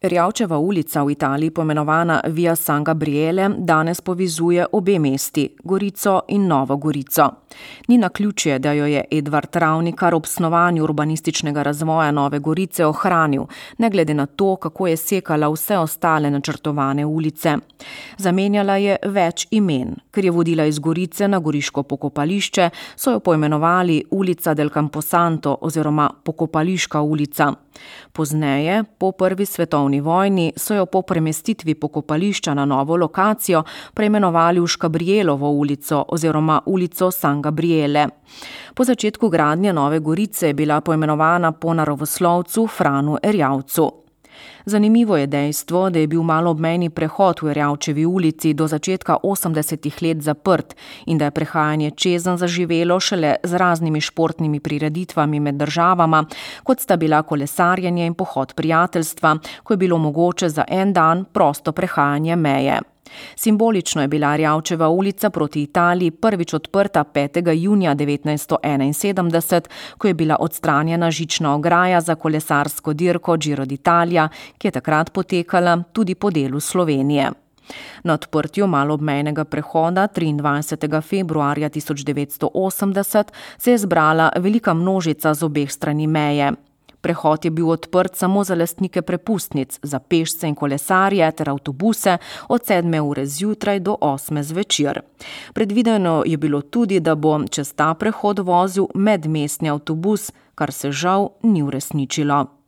Erjavčeva ulica v Italiji, poimenovana Via San Gabriele, danes povezuje obe mesti, Gorico in Novo Gorico. Ni naključje, da jo je Edvard Ravnikar ob snovanju urbanističnega razvoja Nove Gorice ohranil, ne glede na to, kako je sekala vse ostale načrtovane ulice. Zamenjala je več imen. Ker je vodila iz Gorice na goriško pokopališče, so jo poimenovali Ulica del Camposanto oziroma Pokopališka ulica. Pozneje, po prvi svetovni vojni, so jo po premestitvi pokopališča na novo lokacijo preimenovali v Škabrielovo ulico oziroma ulico San Gabriele. Po začetku gradnje Nove Gorice je bila poimenovana po naravoslovcu Franu Erjavcu. Zanimivo je dejstvo, da je bil maloobmejni prehod v Erjavčevi ulici do začetka 80. let zaprt in da je prehajanje čezenj zaživelo šele z raznimi športnimi prireditvami med državama, kot sta bila kolesarjenje in pohod prijateljstva, ko je bilo mogoče za en dan prosto prehajanje meje. Simbolično je bila Erjavčeva ulica proti Italiji prvič odprta 5. junija 1971, ko je bila odstranjena žična ograja za kolesarsko dirko Giro d'Italia, ki je takrat potekala tudi po delu Slovenije. Na odprtju maloobmejnega prehoda 23. februarja 1980 se je zbrala velika množica z obeh strani meje. Prehod je bil odprt samo za lastnike prepustnic, za pešce in kolesarje ter avtobuse od 7. ure zjutraj do 8. zvečer. Predvideno je bilo tudi, da bo čez ta prehod vozil medmestni avtobus, kar se žal ni uresničilo.